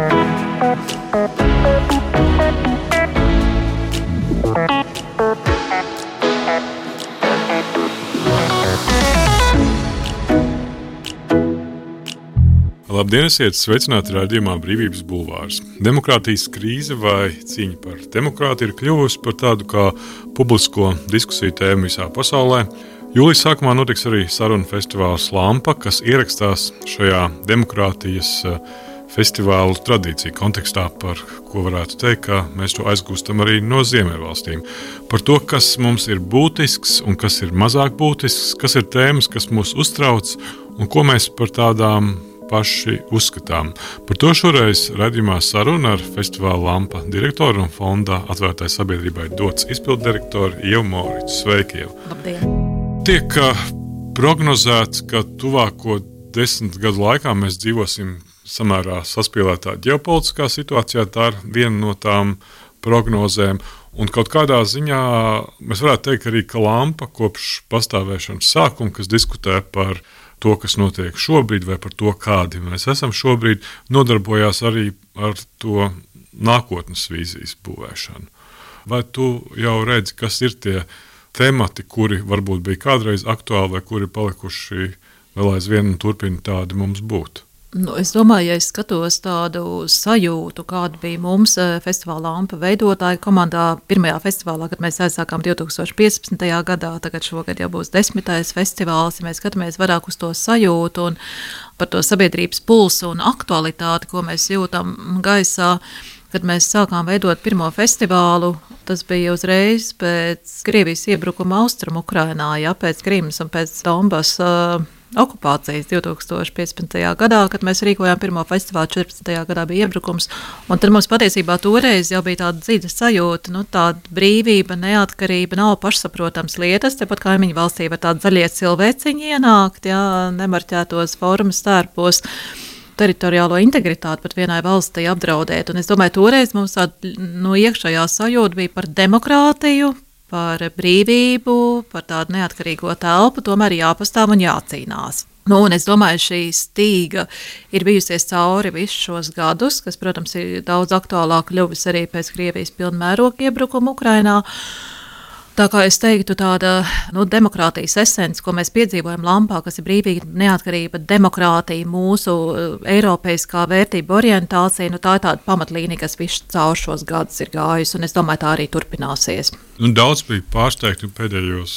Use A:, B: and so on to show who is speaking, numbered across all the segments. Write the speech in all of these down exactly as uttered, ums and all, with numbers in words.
A: Labdien, esiet sveicināti raidījumā Brīvības bulvārs. Demokrātijas krīze vai cīņa par demokrātiju ir kļuvusi par tādu kā publisko diskusiju tēmu visā pasaulē. Jūlijas sākumā notiks arī sarunu festivāls Lampa, kas ierakstās šajā demokrātijas festivālu tradīciju kontekstā, par ko varētu teikt, ka mēs to aizgūstam arī no Ziemeļvalstīm. Par to, kas mums ir būtisks un kas ir mazāk būtisks, kas ir tēmas, kas mūs uztrauc un ko mēs par tādām paši uzskatām. Par to šoreiz raidījumā saruna ar festivāla Lampa direktoru un fonda atvērtai sabiedrībai dots izpilddirektoru Ievu Moricu. Sveiki, Ieva!
B: Labdien!
A: Tiek prognozēts, ka tuvāko desmit gadu laikā mēs dzīvosim samērā saspīlētā ģeopolitiskā situācijā. Tā ir viena no tām prognozēm. Un kaut kādā ziņā mēs varētu teikt arī, ka Lampa kopš pastāvēšanas sākuma, kas diskutē par to, kas notiek šobrīd, vai par to, kādi mēs esam šobrīd, nodarbojās arī ar to nākotnes vīzijas būvēšanu. Vai tu jau redzi, kas ir tie temati, kuri varbūt bija kādreiz aktuāli, vai kuri palikuši vēl aizvien un turpina tādi mums būt?
B: Nu, es domāju, ja es skatos tādu sajūtu, kāda bija mums festivāla Lampa veidotāja komandā pirmajā festivālā, kad mēs aizsākām divi tūkstoši piecpadsmitajā gadā, tagad šogad jau būs desmitais festivāls, ja mēs skatāmies vairāk uz to sajūtu un par to sabiedrības pulsu un aktualitāti, ko mēs jūtam gaisā. Kad mēs sākām veidot pirmo festivālu, tas bija uzreiz pēc Krievijas iebrukuma Austrumu Ukrainā, ja, pēc Krimas un pēc Donbas uh, okupācijas divi tūkstoši piecpadsmitajā gadā, kad mēs rīkojām pirmo festivālu, četrpadsmitajā gadā bija iebrukums. Un tad mums patiesībā toreiz jau bija tāda dziļa sajūta, nu, tāda brīvība, neatkarība, nav pašsaprotams lietas. Tepat kaimiņu valstī var tādi zaļie cilvēciņi ienākt, ja, nemarķētos formas stērpos. Teritoriālo integritāti pat vienai valstī apdraudēt. Un es domāju, toreiz mums tāda no iekšējā sajūta bija par demokrātiju, par brīvību, par tādu neatkarīgo telpu, tomēr jāpastāv un jācīnās. Nu, un es domāju, šī stīga ir bijusies cauri visus šos gadus, kas, protams, ir daudz aktuālāk kļuvis arī pēc Krievijas pilnmēroga iebrukuma Ukrainā. Tā kā es teiktu, tāda nu, demokrātijas esence, ko mēs piedzīvojam Lampā, kas ir brīvība, neatkarība, demokrātija, mūsu eiropeiskā vērtība orientācija, nu, tā ir tāda pamatlīnija, kas visu caur šos gadus ir gājusi, un es domāju, tā arī turpināsies.
A: Nu, daudz bija pārsteigti, pēdējos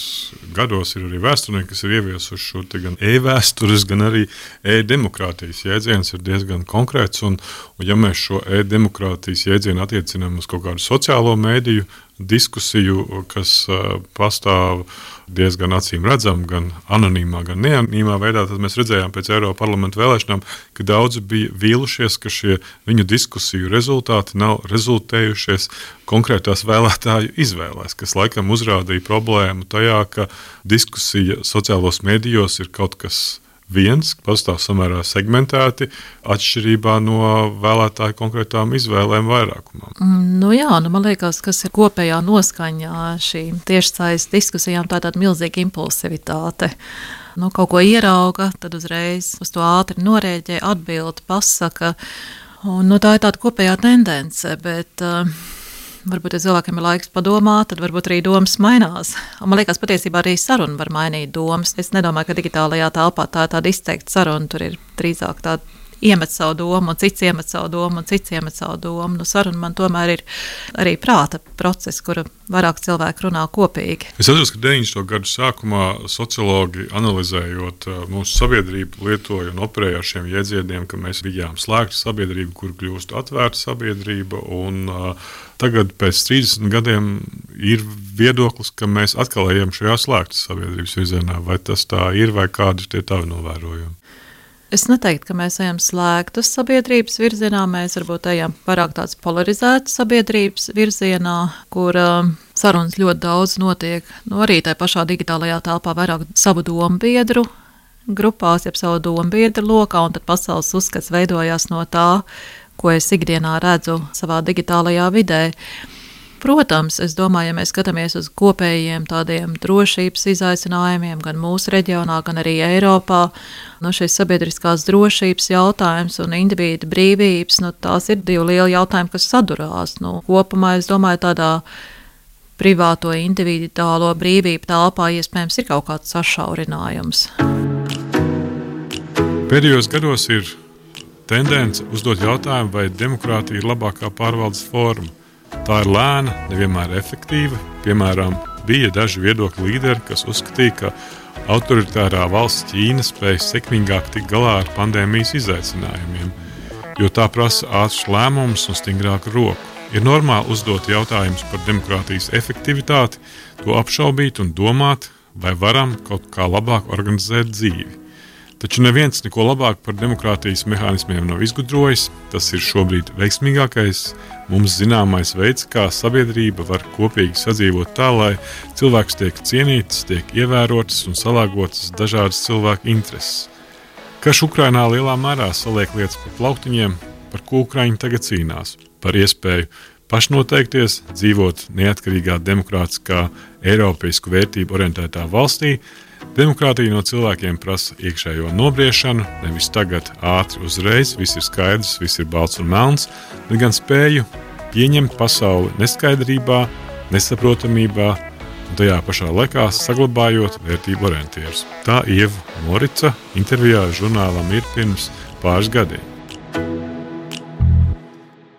A: gados ir arī vēsturnieki, kas ir ieviesuši šo gan e-vēstures, gan arī e-demokrātijas jēdziens ir diezgan konkrēts, un, un ja mēs šo e-demokrātijas jēdzienu attiecinām uz kaut kādu sociālo mēdīju diskusiju, kas uh, pastāv diezgan acīm redzam, gan anonīmā, gan neanonīmā veidā, tad mēs redzējām pēc Eiropa parlamenta vēlēšanām, ka daudzi bija vīlušies, ka šie viņu diskusiju rezultāti nav rezultējušies konkrētās vēlētāju izvēlēs, kas laikam uzrādīja problēmu tajā, ka diskusija sociālos medijos ir kaut kas viens, pastāv samērā segmentēti, atšķirībā no vēlētāju konkrētām izvēlēm vairākumam.
B: Nu jā, nu man liekas, kas ir kopējā noskaņā šīm tiešsaistes diskusijām, tā tāda milzīga impulsivitāte. Nu, kaut ko ierauga, tad uzreiz uz to ātri norēģē, atbild, pasaka. Un, nu, tā ir tāda kopējā tendence, bet uh, varbūt, ja cilvēkiem ir laiks padomāt, tad varbūt arī domas mainās. Un man liekas, patiesībā arī saruna var mainīt domas. Es nedomāju, ka digitālajā telpā tā ir tāda izteikta saruna. Tur ir drīzāk tāda iemet savu domu, un cits iemet savu domu, un cits iemet savu domu. Nu, saruna man tomēr ir arī prāta process, kura vairāk cilvēku runā kopīgi.
A: Es atceros, ka deviņdesmito gadu sākumā sociologi analizējot mūsu sabiedrību lietoja un operēja ar šiem jēdzieniem, ka mēs bijām slēgta sabiedrība, kur kļūst atvērta sabiedrība, un uh, tagad pēc trīsdesmit gadiem ir viedoklis, ka mēs atkal ejam šajā slēgtas sabiedrības virzienā. Vai tas tā ir, vai kādi tie tavi novērojumi?
B: Es neteiktu, ka mēs ejam slēgtas sabiedrības virzienā, mēs varbūt ejam pārāk tāds polarizētas sabiedrības virzienā, kur uh, sarunas ļoti daudz notiek, nu arī tajā pašā digitālajā telpā vairāk savu domu biedru grupās, jeb savu domu biedru lokā, un tad pasaules uzskats veidojās no tā, ko es ikdienā redzu savā digitālajā vidē. protams, es domāju, ja mēs skatāmies uz kopējiem tādiem drošības izaicinājumiem gan mūsu reģionā, gan arī Eiropā, no šīs sabiedriskās drošības jautājums un individu brīvības, nu, tās ir divi lieli jautājumi, kas sadurās. Nu, kopumā, es domāju, tādā privāto individuālo brīvību telpā iespējams ir kaut kāds sašaurinājums.
A: Pēdējos gados ir tendence uzdot jautājumu, vai demokrātija ir labākā pārvaldes forma. Tā ir lēna, nevienmēr efektīva. Piemēram, bija daži viedokļu līderi, kas uzskatīja, ka autoritārā valsts Ķīna spēj sekmīgāk tikt galā ar pandēmijas izaicinājumiem, jo tā prasa ātrus lēmumus un stingrāku roku. Ir normāli uzdot jautājumus par demokrātijas efektivitāti, to apšaubīt un domāt, vai varam kaut kā labāk organizēt dzīvi. Taču neviens neko labāk par demokrātijas mehānismiem nav izgudrojis. Tas ir šobrīd veiksmīgākais mums zināmais veids, kā sabiedrība var kopīgi sadzīvot tā, lai cilvēks tiek cienīts, tiek ievērotas un salāgotas dažādas cilvēku intereses. Karš Ukrainā lielā mērā saliek lietas pa plauktiņiem, par ko Ukraiņi tagad cīnās. Par iespēju pašnoteikties, dzīvot neatkarīgā, demokrātiskā, eiropeisku vērtību orientētā valstī. Demokrātija no cilvēkiem prasa iekšējo nobriešanu, nevis tagad ātri uzreiz, viss ir skaidrs, viss ir balts un melns, bet gan spēju pieņemt pasauli neskaidrībā, nesaprotamībā un tajā pašā laikā saglabājot vērtību orientierus. Tā Ieva Morica intervijā žurnālam ir pirms pāris gadiem.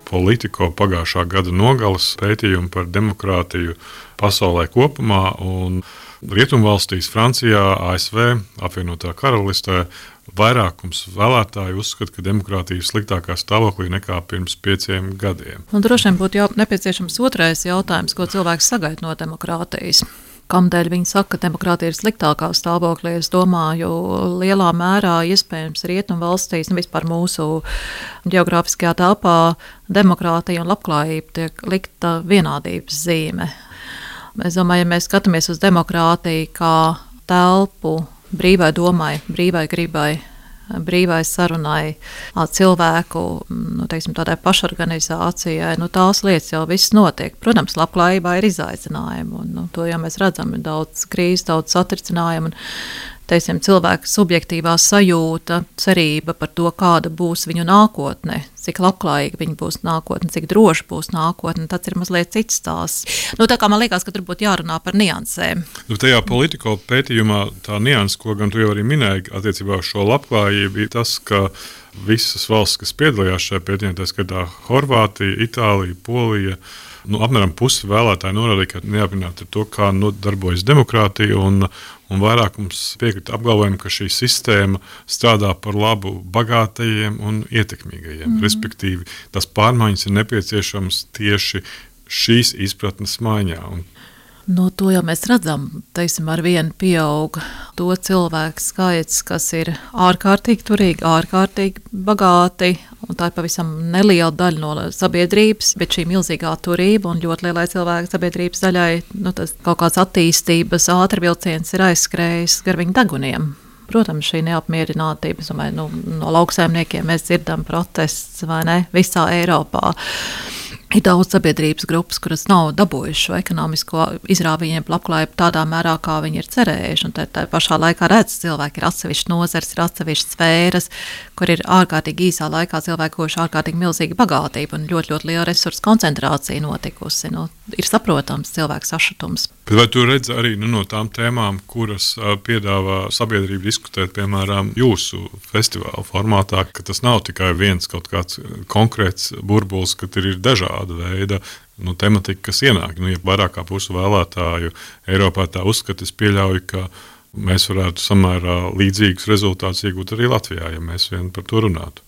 A: Politico pagājušā gada nogales pētījumu par demokrātiju pasaulē kopumā un Rietumvalstīs, Francijā, A S V, apvienotā karalistē vairākums vēlētāju uzskata, ka demokrātija ir sliktākā stāvoklī nekā pirms pieciem gadiem.
B: Un droši vien būtu jau nepieciešams otrais jautājums, ko cilvēks sagaida no demokrātijas. Kamdēļ viņi saka, ka demokrātija ir sliktākā stāvoklī? Es domāju, lielā mērā iespējams Rietumvalstīs, nu vispār mūsu geogrāfiskajā telpā, demokrātija un labklājība tiek likta vienādības zīme. Es domāju, ja mēs skatāmies uz demokrātiju kā telpu brīvai domai, brīvai gribai, brīvai sarunai, cilvēku, nu, teiksim, tādai pašorganizācijai, nu, tās lietas jau viss notiek. Protams, labklājībā ir izaicinājumi, un nu, to jau mēs redzam, ir daudz krīzes, daudz satricinājumu, un teiksim, cilvēka subjektīvā sajūta, cerība par to, kāda būs viņu nākotne, cik labklājīga viņa būs nākotne, cik droši būs nākotne, tas ir mazliet cits stāsts. Nu, tā kā man liekas, ka tur būtu jārunā par niansēm.
A: Nu, tajā Politico pētījumā tā nianses, ko gan tu jau arī minēji attiecībā uz šo labklājību, ir tas, ka visas valsts, kas piedalījās šajā pētījumā, tā skatā Horvātija, Itālija, Polija, nu, apmēram pusi vēlētāji norādīja, ka neapmierināti ar to, kā darbojas demokrātija, un, un vairākums piekrita apgalvojumu, ka šī sistēma strādā par labu bagātajiem un ietekmīgajiem. Mm. Respektīvi, tās pārmaiņas ir nepieciešamas tieši šīs izpratnes maiņā. Un
B: No to jau mēs redzam, teiksim, ar vienu pieaug to cilvēku skaits, kas ir ārkārtīgi turīgi, ārkārtīgi bagāti, un tā ir pavisam neliela daļa no sabiedrības, bet šī milzīgā turība un ļoti lielai cilvēku sabiedrības daļai, nu, tas kaut kāds attīstības ātrvilciens ir aizskrējis gar viņu deguniem. Protams, šī neapmierinātība, domāju, nu, no lauksaimniekiem mēs dzirdam protests, vai ne, visā Eiropā. Ir daudz sabiedrības grupas, kuras nav dabūjuši šo ekonomisko izrāvienu labklājību tādā mērā, kā viņi ir cerējuši. Un tā, tā pašā laikā redz, cilvēki ir atsevišķi nozars, ir atsevišķi sfēras, kur ir ārkārtīgi īsā laikā cilvēki guvuši ārkārtīgi milzīga bagātība un ļoti, ļoti liela resursu koncentrācija notikusi. Nu, ir saprotams cilvēku sašutums.
A: Bet vai tu redzi arī nu, no tām tēmām, kuras uh, piedāvā sabiedrība diskutēt, piemēram, jūsu festivāla formātā, ka tas nav tikai viens kaut kāds konkrēts burbulis, ka ir dažādi veida nu, tematika, kas ienāk. Nu, ja vairāk kā pusi vēlētāju Eiropā tā uzskata, es pieļauju, ka mēs varētu samērā līdzīgus rezultātus iegūt arī Latvijā, ja mēs vien par to runātu.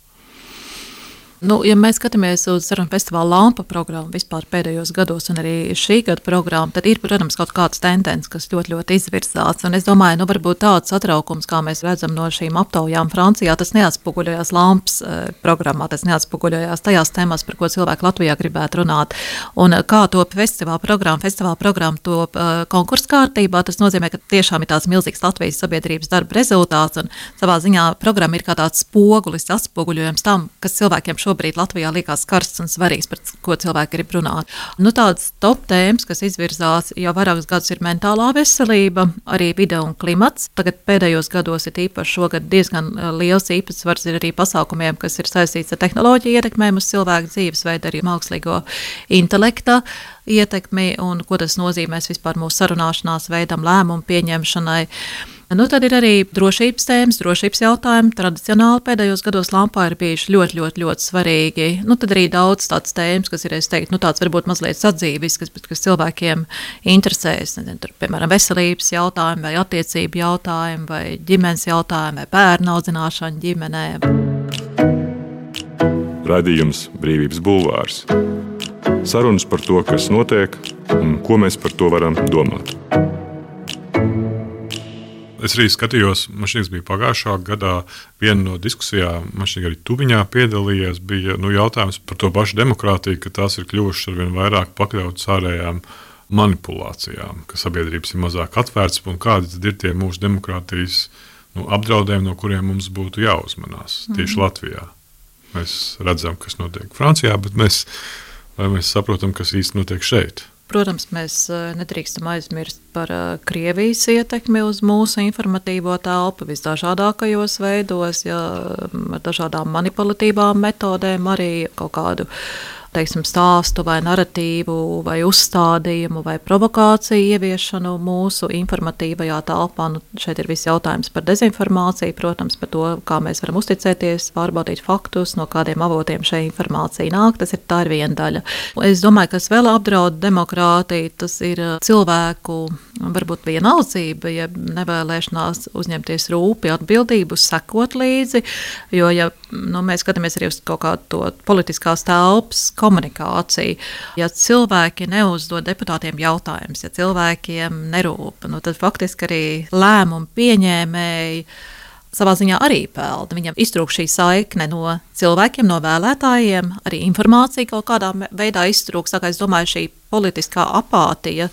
B: Nu, ja mēs skatāmies uz sarunu festivāla Lampa programmu vispār pēdējos gados un arī šī gada programmu, tad ir, protams, kaut kādas tendences, kas ļoti, ļoti izvirzās. Un es domāju, nu, varbūt tāds satraukums, kā mēs redzam no šīm aptaujām Francijā, tas neatspoguļojās Lampas uh, programmā, tas neatspoguļojās tajās tēmās, par ko cilvēki Latvijā gribētu runāt. Un uh, kā to festivāla programmu, festivāla programmu top uh, konkursu kārtībā, tas nozīmē, ka tiešām ir tāds milzīgs Latvijas sabiedrības darba rezultāts un savā ziņā programma ir kā tāds spogulis, atspoguļojums tam, kas cilvēkiem šobrīd Latvijā liekas karsts un svarīgs, par ko cilvēki grib runāt. Nu, tāds top tēmas, kas izvirzās jau vairākus gadus, ir mentālā veselība, arī vide un klimats. Tagad pēdējos gados ir īpaši šogad diezgan liels īpatsvars ir arī pasākumiem, kas ir saistīts ar tehnoloģiju ietekmēm uz cilvēku dzīvesveidu, arī mākslīgo intelekta ietekmi un ko tas nozīmēs vispār mūsu sarunāšanās veidam, lēmumu pieņemšanai. Nu, tad ir arī drošības tēmas, drošības jautājumi. Tradicionāli pēdējos gados Lampā ir bijuši ļoti, ļoti, ļoti svarīgi. Nu, tad arī daudz tāds tēmas, kas ir, es teiktu, nu, tāds varbūt mazliet sadzīvisks, kas, kas cilvēkiem interesēs. Nezinu, tur, piemēram, veselības jautājumi vai attiecību jautājumi vai ģimenes jautājumi vai bērnu audzināšana ģimenē.
C: Raidījums Brīvības bulvārs. Sarunas par to, kas notiek un ko mēs par to varam domāt.
A: Es arī skatījos, man šķiet, bija pagājušā gadā viena no diskusijām, man šķiet, arī Tuviņā piedalījies, bija nu, jautājums par to pašu demokrātiju, ka tās ir kļuvušas arvien vairāk pakļautas ārējām manipulācijām, ka sabiedrības ir mazāk atvērtas un kādi tad ir tie mūsu demokrātijas nu, apdraudējumi, no kuriem mums būtu jāuzmanās tieši mm. Latvijā. Mēs redzam, kas notiek Francijā, bet mēs, vai mēs saprotam, kas īsti notiek šeit.
B: Protams, mēs nedrīkstam aizmirst par Krievijas ietekmi uz mūsu informatīvo telpu visdažādākajos veidos, ja, ar dažādām manipulatīvām metodēm, arī kaut kādu teiksim, stāstu vai naratīvu vai uzstādījumu vai provokāciju ieviešanu mūsu informatīvajā telpā. Nu, šeit ir viss jautājums par dezinformāciju, protams, par to, kā mēs varam uzticēties, pārbaudīt faktus, no kādiem avotiem šī informācija nāk. Tas ir tā ir viena daļa. Es domāju, kas vēl apdraud demokrātiju, tas ir cilvēku varbūt vienaldzība, ja nevēlēšanās uzņemties rūpi atbildību, sekot līdzi, jo, ja nu, mēs skatāmies arī uz kaut kādu to politiskās telpas komunikāciju, ja cilvēki neuzdod deputātiem jautājumus, ja cilvēkiem nerūp, nu, tad faktiski arī lēmumu pieņēmēji savā ziņā arī pelna. Viņam iztrūkst šī saikne no cilvēkiem, no vēlētājiem, arī informācija kaut kādā veidā iztrūkst. Tā kā es domāju, šī politiskā apātija,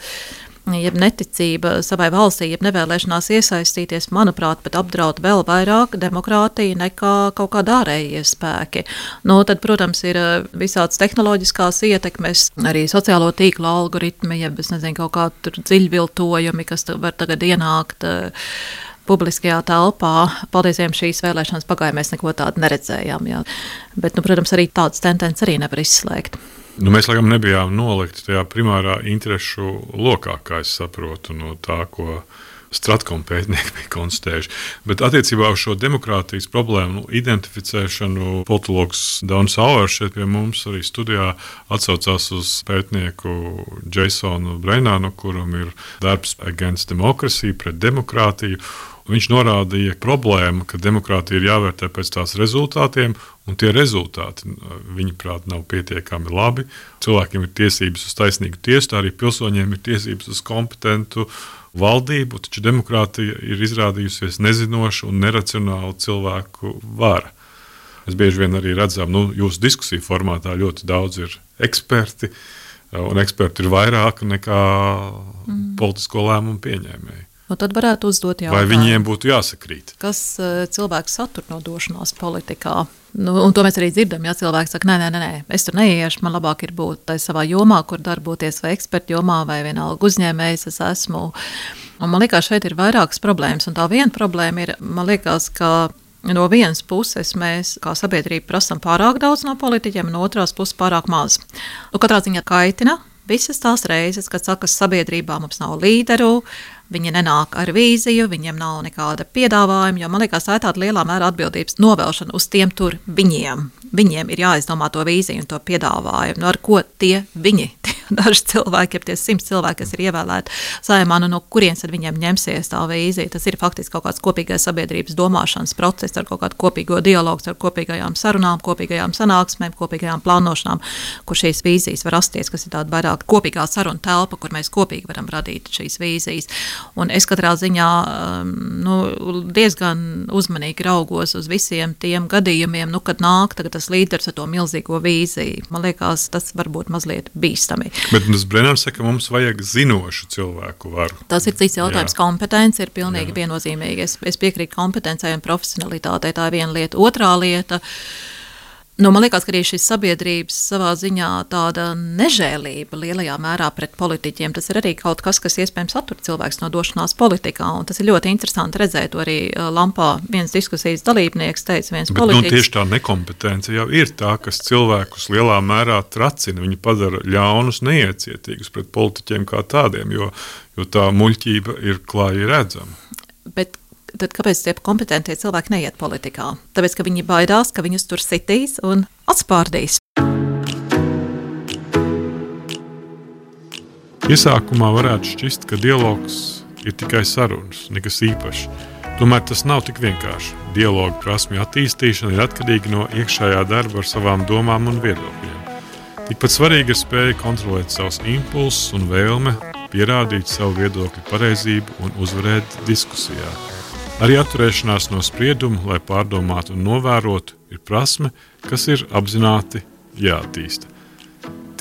B: jeb neticība savai valstī, jeb nevēlēšanās iesaistīties, manuprāt, pat apdraud vēl vairāk demokrātiju nekā kaut kādā ārējie spēki. Nu, tad, protams, ir visādas tehnoloģiskās ietekmes, arī sociālo tīklu algoritmi, jeb, es nezinu, kaut kādi tur dziļviltojumi, kas var tagad ienākt publiskajā telpā. Paldies Dievam, šīs vēlēšanas pagāja, mēs neko tādu neredzējām. Jā. Bet, nu, protams, arī tādas tendences arī nevar izslēgt.
A: Nu, mēs laikam nebijām nolikti tajā primārā interešu lokā, kā es saprotu, no tā, ko Stratkom pētnieki bija konstatējuši. Bet attiecībā uz šo demokrātijas problēmu nu, identificēšanu politologs Daunis Auers šeit pie mums arī studijā atsaucās uz pētnieku Jasonu Breinānu, kuram ir darbs Against Democracy, pret demokrātiju. Viņš norādīja problēmu, ka demokrātija ir jāvērtē pēc tās rezultātiem, un tie rezultāti, viņuprāt, nav pietiekami labi. Cilvēkiem ir tiesības uz taisnīgu tiesu, tā arī pilsoņiem ir tiesības uz kompetentu valdību, taču demokrātija ir izrādījusies nezinoša un neracionāla cilvēku vara. Mēs bieži vien arī redzam, nu, jūsu diskusiju formātā ļoti daudz ir eksperti, un eksperti ir vairāk nekā mm. politisko lēmumu pieņēmēji.
B: Un tad varētu uzdot jautājumu.
A: Vai viņiem būtu jāsakrīt?
B: Kas uh, cilvēks satur no došanās politikā? Nu, un to mēs arī dzirdam, ja cilvēks saka, nē, nē, nē, es tur neiešu, man labāk ir būt tai savā jomā, kur darboties vai ekspertu jomā, vai vienalga uzņēmējs es esmu. Un man liekas, šeit ir vairākas problēmas, un tā viena problēma ir, man liekas, ka no vienas puses mēs kā sabiedrība prasam pārāk daudz no politiķiem, no otrās puses pārāk maz. Nu, katrā ziņā kaitina visas tās reizes, kad saka, sabiedrībā mums nav līderu, viņi nenāk ar vīziju, viņiem nav nekāda piedāvājuma, jo man liekas, tā ir tāda lielā mērā atbildības novēlšana uz tiem tur viņiem. Viņiem ir jāizdomā to vīziju un to piedāvājumu, no ar ko tie viņi, daži cilvēki, tie simts cilvēki, kas ir ievēlēti Saeimā, nu no kurienes tad viņiem ņemsies tā vīzija. Tas ir faktiski kaut kāds kopīgais sabiedrības domāšanas process ar kaut kādu kopīgo dialogu, ar kopīgajām sarunām, kopīgajām sanāksmēm, kopīgajām plānošanām, kur šīs vīzijas var rasties, kas ir tāda vairāk kopīgā saruna telpa, kur mēs kopīgi varam radīt šīs vīzijas. Un es katrā ziņā nu, diezgan uzmanīgi raugos uz visiem tiem gadījumiem, nu, kad nāk tagad tas līderis ar to milzīgo vīziju. Man liekas, tas varbūt mazliet bīstami.
A: Bet tas Brenners saka, ka mums vajag zinošu cilvēku varu.
B: Tas ir cits jautājums. Jā. Kompetence ir pilnīgi Jā. viennozīmīga. Es, es piekrītu kompetencei un profesionalitātei. Tā ir viena lieta. Otrā lieta, Nu, man liekas, ka arī šis sabiedrības savā ziņā tāda nežēlība lielajā mērā pret politiķiem, tas ir arī kaut kas, kas iespējams attur cilvēks no došanās politikā, un tas ir ļoti interesanti redzēt, to arī Lampā viens diskusijas dalībnieks teica, viens
A: Bet,
B: politiķis.
A: Nu, tieši tā nekompetence jau ir tā, kas cilvēkus lielā mērā tracina, viņi padara ļaunus, neiecietīgus pret politiķiem kā tādiem, jo, jo tā muļķība ir klāji redzama.
B: Bet tad kāpēc tie kompetentie cilvēki neiet politikā? Tāpēc, ka viņi baidās, ka viņus tur sitīs un atspārdīs.
A: Iesākumā varētu šķist, ka dialogs ir tikai sarunas, nekas īpašs. Tomēr tas nav tik vienkārši. Dialoga prasmju attīstīšana ir atkarīga no iekšējā darba ar savām domām un viedokļiem. Tikpat svarīgi ir spēja kontrolēt savus impulsus un vēlme, pierādīt savu viedokļu pareizību un uzvarēt diskusijā. Arī atturēšanās no sprieduma, lai pārdomātu un novērotu, ir prasme, kas ir apzināti jāattīsta.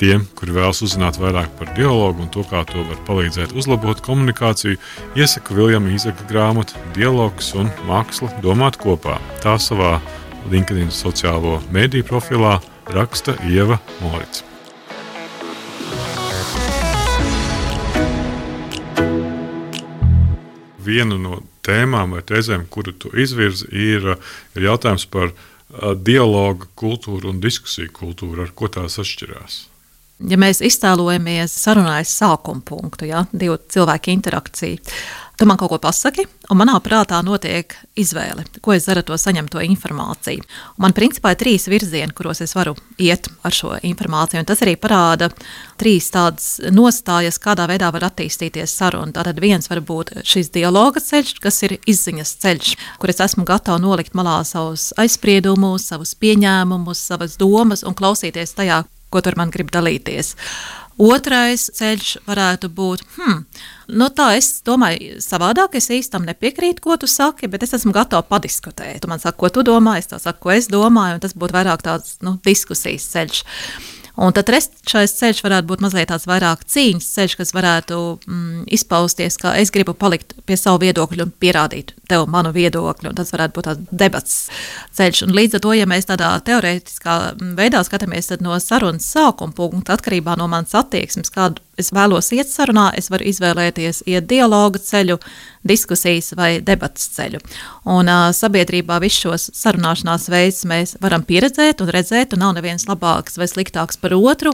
A: Tiem, kuri vēlas uzzināt vairāk par dialogu un to, kā to var palīdzēt uzlabot komunikāciju, iesaku Viljama Īzaka grāmatu Dialogs un māksla domāt kopā. Tā savā LinkedIn sociālo mēdīju profilā raksta Ieva Morica. Viena no tēmām vai tēzēm, kuru tu izvirzi, ir, ir jautājums par uh, dialoga kultūru un diskusiju kultūru, ar ko tās atšķirās.
B: Ja mēs iztēlojamies sarunājas sākuma punktu, ja, divu cilvēku interakciju, tu man kaut ko pasaki, un manā prātā notiek izvēle, ko es daru to saņemto informāciju. Un man principā ir trīs virzieni, kuros es varu iet ar šo informāciju, un tas arī parāda trīs tādas nostājas, kādā veidā var attīstīties saruna. Tātad viens var būt šis dialoga ceļš, kas ir izziņas ceļš, kur es esmu gatava nolikt malā savus aizspriedumus, savus pieņēmumus, savas domas un klausīties tajā, ko tur man grib dalīties. Otrais ceļš varētu būt, hmm, nu tā es domāju savādāk, es īstam nepiekrītu, ko tu saki, bet es esmu gatava padiskutēt. Tu man saki, ko tu domā, es tā saku, ko es domāju, un tas būtu vairāk tāds, nu, diskusijas ceļš. Un tad trešais ceļš varētu būt mazliet tāds vairāk cīņas ceļš, kas varētu mm, izpausties, ka es gribu palikt pie savu viedokļu un pierādīt tev manu viedokļu, un tas varētu būt tāds debats ceļš. Un līdz ar to, ja mēs tādā teorētiskā veidā skatāmies, tad no sarunas sākuma punkta atkarībā no manas attieksmes, kādu es vēlos iet sarunā, es varu izvēlēties iet dialoga ceļu, diskusijas vai debatas ceļu. Un uh, sabiedrībā visus šos sarunāšanās veidus mēs varam pieredzēt un redzēt, un nav neviens labāks vai sliktāks par otru,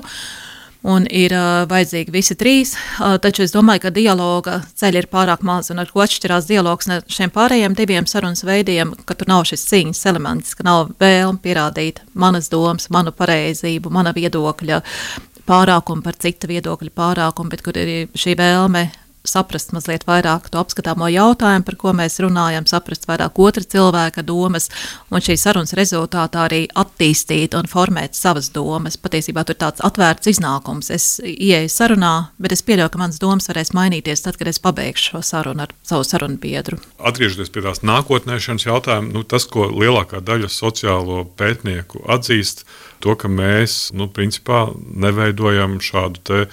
B: un ir uh, vajadzīgi visi trīs, uh, taču es domāju, ka dialoga ceļi ir pārāk maz, un ar ko atšķirās dialogs no šiem pārējiem diviem sarunas veidiem, ka tur nav šis cīņas elements, ka nav vēlme pierādīt manas domas, manu pareizību, mana viedokļa pārākumu par cita viedokļa pārākumu, bet kur ir šī vēlme saprast mazliet vairāk to apskatāmo jautājumu, par ko mēs runājam, saprast vairāk otra cilvēka domas, un šī sarunas rezultātā arī attīstīt un formēt savas domas. Patiesībā tur tāds atvērts iznākums. Es ieeju sarunā, bet es pieļauju, ka manas domas varēs mainīties tad, kad es pabeigšu šo sarunu ar savu sarunu biedru.
A: Atgriežoties pie tās nākotnēšanas jautājumu, nu, tas, ko lielākā daļa sociālo pētnieku atzīst, to, ka mēs, nu, principā neveidojam šādu te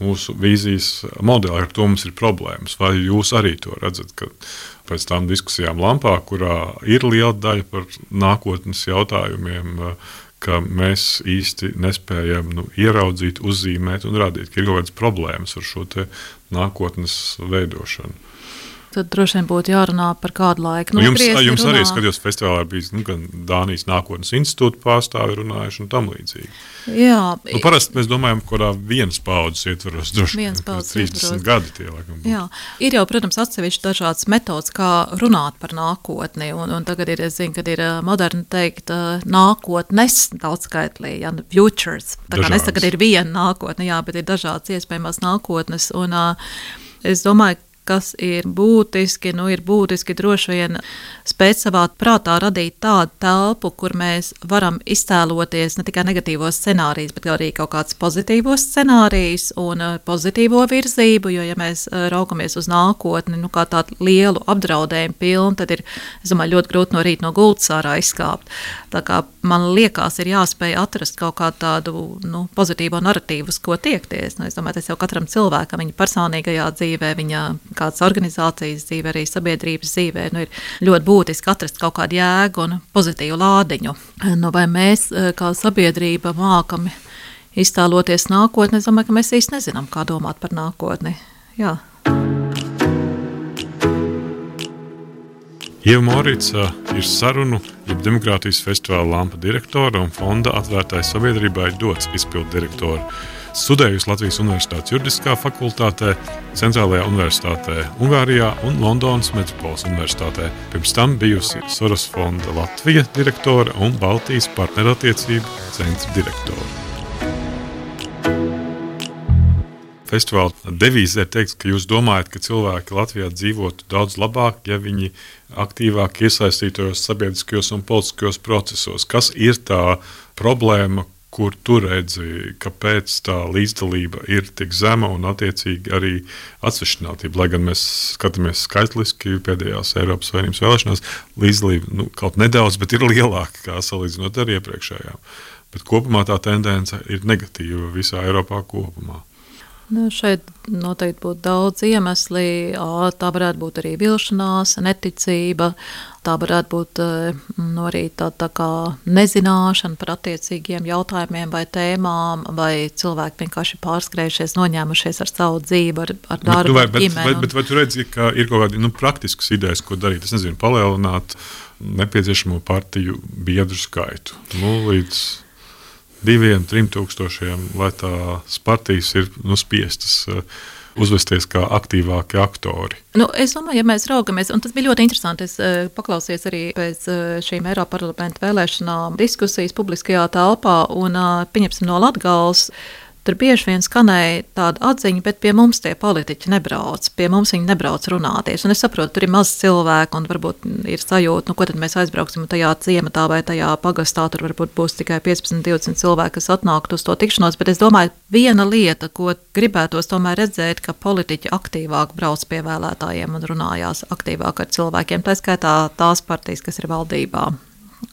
A: mūsu vīzijas modeli, ar to mums ir problēmas. Vai jūs arī to redzat, ka pēc tām diskusijām Lampā, kurā ir liela daļa par nākotnes jautājumiem, ka mēs īsti nespējam nu, ieraudzīt, uzzīmēt un rādīt, ka ir kaut kādas problēmas ar šo te nākotnes veidošanu?
B: Tad droši vien būtu jārunā par kādu laiku.
A: Nu, jums jums runā. Arī skatījos festivālā bija nu, gan Dānijas nākotnes institūta pārstāvi runājuši un tam līdzīgi.
B: Jā.
A: Nu, parasti mēs domājam, kurā vienas paudzes ietvaros, droši
B: vien
A: trīsdesmit gadi tie laikam.
B: Jā. Ir jau, protams, atsevišķi dažādas metodas, kā runāt par nākotni, un, un tagad ir, es zinu, kad ir moderni teikt nākotnes daudzskaitlī, ja, futures. Tā kā nes tagad ir viena nākotne, jā, bet ir dažādas iespējamās nākotnes, un uh, es domāju, kas ir būtiski, nu ir būtiski droši vien spēt savā prātā radīt tādu telpu, kur mēs varam iztēloties ne tikai negatīvos scenārijus, bet arī kaut kāds pozitīvos scenārijus un pozitīvo virzību, jo ja mēs raugamies uz nākotni, nu kā tādu lielu apdraudējumu pilnu, tad ir, es domāju, ļoti grūti no rīta no gultas ārā izkāpt. Tā kā man liekas, ir jāspēj atrast kaut kādu tādu nu, pozitīvo narratīvu, uz ko tiekties. Nu, es domāju, tas jau katram cilvēkam, viņa personīgajā dzīvē, viņa kādas organizācijas dzīvē, arī sabiedrības dzīvē, nu, ir ļoti būtiski atrast kaut kādu jēgu un pozitīvu lādiņu. Nu, vai mēs kā sabiedrība mākam iztēloties nākotni? Es domāju, ka mēs īsti nezinām, kā domāt par nākotni. Jā.
A: Ieva Morica ir sarunu, jeb demokrātijas festivāla Lampa direktora un fonda Atvērtai sabiedrībai Dots izpildu direktora. Studējusi Latvijas Universitātes juridiskā fakultātē, Centrālajā universitātē Ungārijā un Londonas Metropoles universitātē. Pirms tam bijusi Soros fonda Latvija direktora un Baltijas partnerattiecību centra direktora. Festivāla devīzē ir teikts, ka jūs domājat, ka cilvēki Latvijā dzīvotu daudz labāk, ja viņi aktīvāk iesaistītos sabiedriskajos un politiskajos procesos. Kas ir tā problēma, kur tu redzi, kāpēc tā līdzdalība ir tik zema un attiecīgi arī atsvešinātība? Lai gan mēs skatāmies skaitliski pēdējās Eiropas Savienības vēlēšanās, līdzdalība nu, kaut nedaudz, bet ir lielāka kā salīdzinot ar iepriekšējām. Bet kopumā tā tendence ir negatīva visā Eiropā kopumā.
B: Nu, šeit noteikti būtu daudz iemesli. Tā varētu būt arī vilšanās, neticība, tā varētu būt nu, arī tā, tā kā nezināšana par attiecīgiem jautājumiem vai tēmām, vai cilvēki vienkārši pārskrējušies, noņēmušies ar savu dzīvi, ar, ar darbu,
A: bet, vai,
B: ar
A: bet,
B: ģimeni.
A: Bet, bet vai tu redzi, ka ir kaut kādi nu, praktiskas idejas, ko darīt? Es nezinu, palielināt nepieciešamo partiju biedru skaitu. Nu, līdz diviem, trim tūkstošiem, lai tās partijas ir nu, spiestas uh, uzvesties kā aktīvāki aktori.
B: Nu, es domāju, ja mēs raugamies, un tas bija ļoti interesanti, es uh, paklausījos arī pēc uh, šīm Eiroparlamenta vēlēšanām diskusijas publiskajā telpā, un uh, pieņemsim no Latgales, tur bieži vien skanēja tāda atziņa, bet pie mums tie politiķi nebrauc, pie mums viņi nebrauc runāties. Un es saprotu, tur ir maz cilvēku un varbūt ir sajūta, nu ko tad mēs aizbrauksim tajā ciematā vai tajā pagastā, tur varbūt būs tikai piecpadsmit, divdesmit cilvēki, kas atnāktu uz to tikšanos, bet es domāju, viena lieta, ko gribētos tomēr redzēt, ka politiķi aktīvāk brauc pie vēlētājiem un runājās aktīvāk ar cilvēkiem, tā skaitā tās partijas, kas ir valdībā.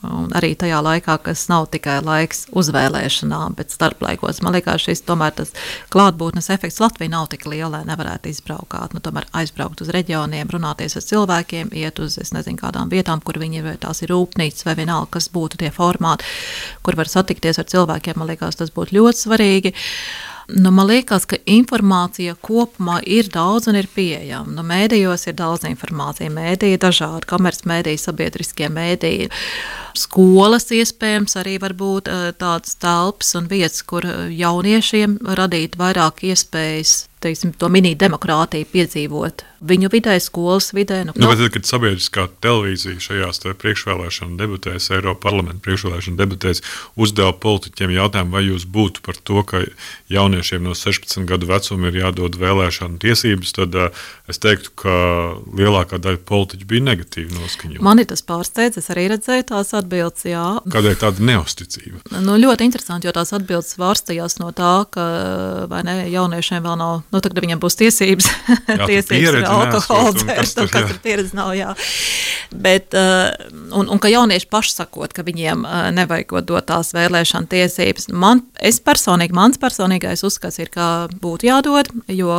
B: Un arī tajā laikā, kas nav tikai laiks uzvēlēšanām, bet starplaikos. Man liekas, šis tomēr tas klātbūtnes efekts Latvijā nav tik liela, lai nevarētu izbraukāt. Nu, tomēr aizbraukt uz reģioniem, runāties ar cilvēkiem, iet uz, es nezinu, kādām vietām, kur viņi ir, vai tās ir rūpnīcas vai vienalga, kas būtu tie formāti, kur var satikties ar cilvēkiem. Man liekas, tas būtu ļoti svarīgi. Nu, man liekas, ka informācija kopumā ir daudz un ir pieejama. Nu, mēdījos ir daudz informācija, mēdīji dažādi, komercmēdīji, sabiedriskie mēdīji. Skolas iespējams arī var būt tādas telpas un vietas, kur jauniešiem radīt vairāk iespējas, teiksim, to mini demokrātiju piedzīvot viņu vidē, skolas vidē. Nu,
A: nu, bet tad, kad sabiedriskā televīzija šajās priekšvēlēšanu debatēs, Eiropas parlamenta priekšvēlēšanu debatēs uzdeva politiķiem jautājumu, vai jūs būtu par to, ka jauniešiem no sešpadsmit gadu vecuma ir jādod vēlēšanu tiesības, tad uh, es teiktu, ka lielākā daļa politiķu bija negatīvi noskaņoti.
B: Mani tas pārsteidz, es arī redzēju tās atbildes, jā.
A: Kādēļ tāda neusticība?
B: Nu, ļoti interesanti, jo tās atbildes vārstījās no tā, ka vai ne, jauniešiem vēl nav, nu tagad viņiem būs tiesības,
A: jā,
B: tiesības ir alkohola dzērs, un kas tur pieredze nav, jā. Bet, un, un ka jaunieši paši sakot, ka viņiem nevajagot dot tās vēlēšana tiesības. Man, es personīgi, mans personīgais uzskats ir, ka būtu jādod, jo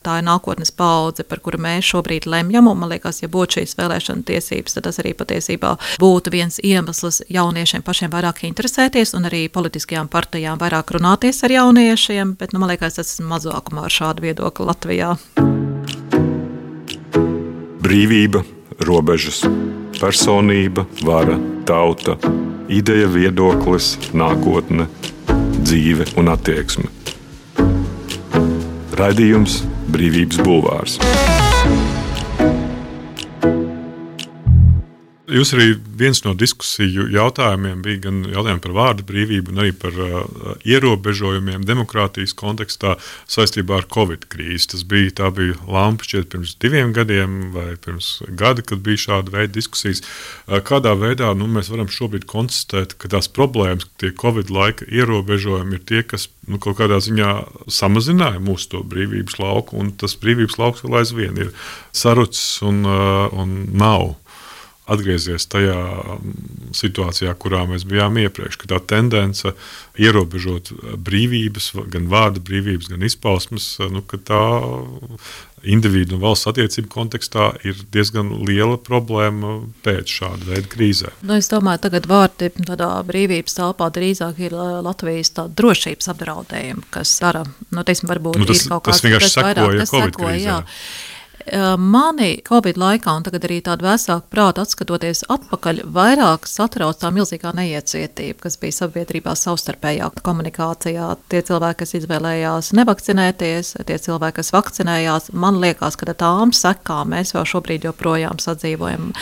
B: tā ir nākotnes paudze, par kuru mēs šobrīd lemjam, un man liekas, ja būtu šīs vēlēšana tiesības, tad tas arī patiesībā būtu viens iemesls jauniešiem pašiem vairāk interesēties, un arī politiskajām partijām vairāk runāties ar jauniešiem, bet, nu, man liekas, tas ir mazākumā ar šādu viedokli Latvijā.
C: Brīvība, robežas, personība, vara, tauta, ideja, viedoklis, nākotne, dzīve un attieksme. Raidījums Brīvības bulvārs.
A: Jūs arī viens no diskusiju jautājumiem bija gan jautājumi par vārdu brīvību un arī par uh, ierobežojumiem demokrātijas kontekstā saistībā ar Covid krīzi. Tas bija, tā bija lampa šķiet pirms diviem gadiem vai pirms gada, kad bija šāda veida diskusijas. Uh, kādā veidā nu, mēs varam šobrīd konstatēt, ka tās problēmas, tie Covid laika ierobežojumi ir tie, kas nu, kaut kādā ziņā samazināja mūsu to brīvības lauku, un tas brīvības lauks vēl aizvien ir sarucis un, uh, un nav. atgriezies tajā situācijā, kurā mēs bijām iepriekš, ka tā tendence ierobežot brīvības, gan vārda brīvības, gan izpausmes, nu, ka tā individu un valsts attiecību kontekstā ir diezgan liela problēma pēc šāda veida krīzē.
B: Nu, es domāju, tagad vārdi tādā brīvības telpā drīzāk ir Latvijas tāda drošības apdraudējuma, kas dara, nu, teiksim, varbūt
A: nu, tas,
B: ir kaut kāds,
A: tas vienkārši sekoja
B: tas
A: Covid
B: sekoja,
A: krīzē.
B: Jā. Mani Covid laikā, un tagad arī tādu vēsāku prātu atskatoties atpakaļ, vairāk satrauc tā milzīgā neiecietība, kas bija sabiedrībā savstarpējā komunikācijā. Tie cilvēki, kas izvēlējās nevakcinēties, tie cilvēki, kas vakcinējās, man liekas, ka tām sekām mēs vēl šobrīd joprojām sadzīvojam.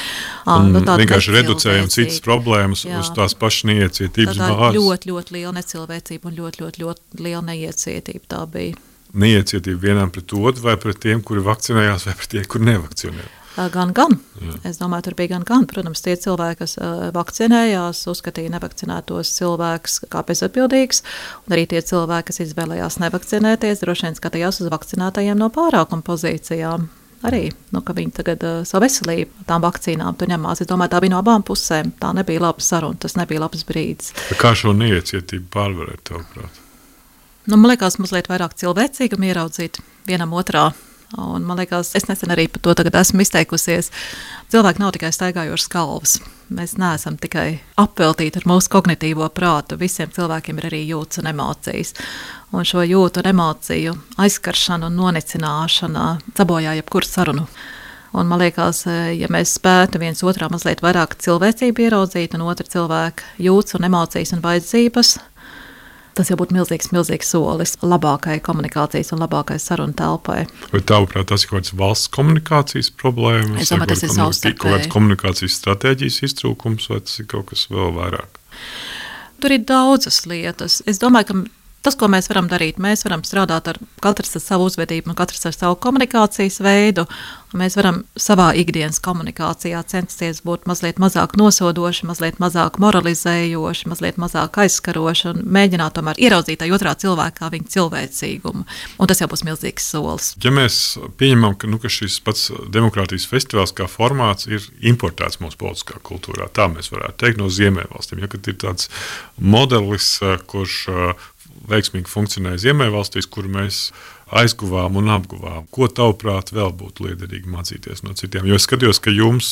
A: Un nu, vienkārši reducējam citas problēmas jā. Uz tās pašas neiecietības
B: bāzes.
A: Tā
B: ļoti, ļoti liela necilvēcība un ļoti, ļoti, ļoti liela neiecietība tā bija.
A: Neiecietība vienam pret otru, vai pret tiem, kuri vakcinējās, vai pret tiem, kuri nevakcinējās?
B: Gan, gan. Jā. Es domāju, tur bija gan, gan. Protams, tie cilvēki, kas uh, vakcinējās, uzskatīja nevakcinētos cilvēkus kā bezatbildīgs, un arī tie cilvēki, kas izvēlējās nevakcinēties, droši vien skatījās uz vakcinētajiem no pārākuma pozīcijām. Arī, nu, ka viņi tagad uh, savu veselību tām vakcīnām tur ņemās. Es domāju, tā bija no abām pusēm. Tā nebija laba saruna, tas nebija labs brīdis.
A: Kā šo neiecietību pārvarēt, tavuprāt?
B: Nu, man liekas, mazliet vairāk cilvēcīgam ieraudzīt vienam otrā. Un man liekas, es nesen arī par to tagad esmu izteikusies. Cilvēki nav tikai staigājošas galvas. Mēs neesam tikai apveltīti ar mūsu kognitīvo prātu. Visiem cilvēkiem ir arī jūtas un emocijas. Un šo jūtu un emociju aizskaršana un nonicināšana sabojā jebkuru sarunu. Un man liekas, ja mēs spētu viens otrā mazliet vairāk cilvēcību ieraudzīt un otra cilvēka jūtas un emocijas un vajadzības, tas jau būtu milzīgs, milzīgs solis labākai komunikācijas un labākai sarunu telpai.
A: Vai tavuprāt, tas ir kaut kāds valsts komunikācijas problēmas?
B: Es domāju, tas ir savstarpēji.
A: Kaut kāds komunikācijas stratēģijas iztrūkums, vai tas ir kaut kas vēl vairāk?
B: Tur ir daudzas lietas. Es domāju, ka tas, ko mēs varam darīt, mēs varam strādāt ar katrs ar savu uzvedību un katrs ar savu komunikācijas veidu. Mēs varam savā ikdienas komunikācijā censties būt mazliet mazāk nosodoši, mazliet mazāk moralizējoši, mazliet mazāk aizskaroši un mēģināt tomēr ieraudzīt tajā otrā cilvēkā viņa cilvēcīgumu. Un tas jau būs milzīgs solis.
A: Ja mēs pieņemam, ka, nu, ka šis pats demokrātijas festivāls kā formāts ir importēts mūsu politiskā kultūrā, tā mēs varētu teikt no Ziemeļvalstīm, ja kad ir tāds modelis, kurš veiksmīgi funkcionē Ziemeļvalstīs, kur mēs aizguvām un apguvām. Ko tavuprāt vēl būtu liederīgi mācīties no citiem? Jo es skatījos, ka jums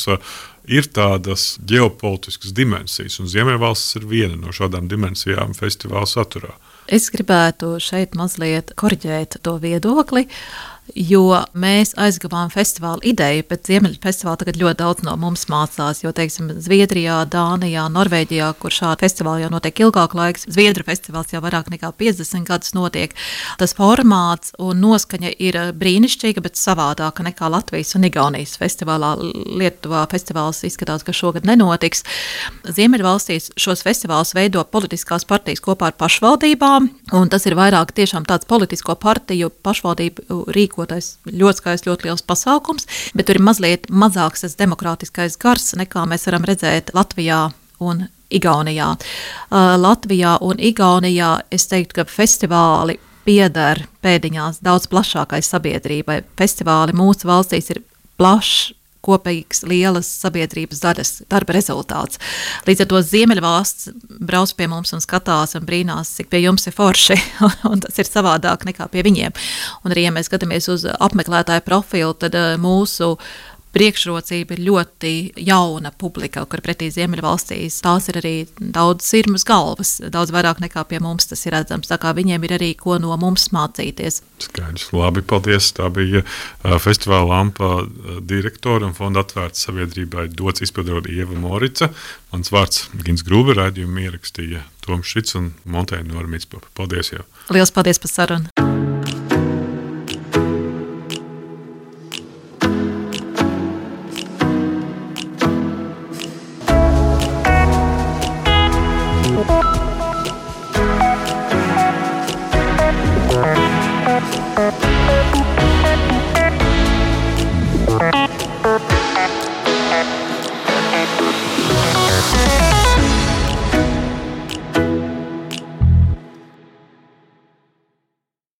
A: ir tādas ģeopolitiskas dimensijas, un Ziemeļvalstis ir viena no šādām dimensijām festivāla saturā.
B: Es gribētu šeit mazliet korģēt to viedokli, jo mēs aizgavām festivāla ideju, bet Ziemeļu festivāla tagad ļoti daudz no mums mācās, jo, teiksim, Zviedrijā, Dānijā, Norvēģijā, kur šādi festivāli jau notiek ilgāk laiks, Zviedru festivāls jau vairāk nekā piecdesmit gadus notiek. Tas formāts un noskaņa ir brīnišķīga, bet savādāka nekā Latvijas un Igaunijas festivālā. Lietuvā festivāls izskatās, ka šogad nenotiks. Ziemeļvalstīs šos festivālus veido politiskās partijas kopā ar pašvaldībām, un tas ir vairāk tiešām tāds politisko partiju pašvaldību rīko ļoti skaists, ļoti liels pasākums, bet tur ir mazliet mazāks tas demokrātiskais gars, nekā mēs varam redzēt Latvijā un Igaunijā. Uh, Latvijā un Igaunijā es teiktu, ka festivāli pieder pēdiņās daudz plašākai sabiedrībai. Festivāli mūsu valstīs ir plašs, kopīgs, lielas sabiedrības daļas darba rezultāts. Līdz ar to Ziemeļvalsts brauc pie mums un skatās un brīnās, cik pie jums ir forši, un tas ir savādāk nekā pie viņiem. Un arī, ja mēs skatāmies uz apmeklētāju profilu, tad mūsu priekšrocība ir ļoti jauna publika, kur pretī Ziemeļvalstīs tās ir arī daudz sirmas galvas, daudz vairāk nekā pie mums tas ir redzams, tā kā viņiem ir arī ko no mums mācīties.
A: Skaidrs, labi, paldies. Tā bija uh, festivāla Lampa direktora un fonda Atvērta sabiedrībai dots izpildot Ieva Morica. Mans vārds Gins Grūbe, raidījumu ierakstīja Toms Šits un montēja Nora Mitspapa. Paldies jau.
B: Liels paldies par sarunu.
D: We'll be right back.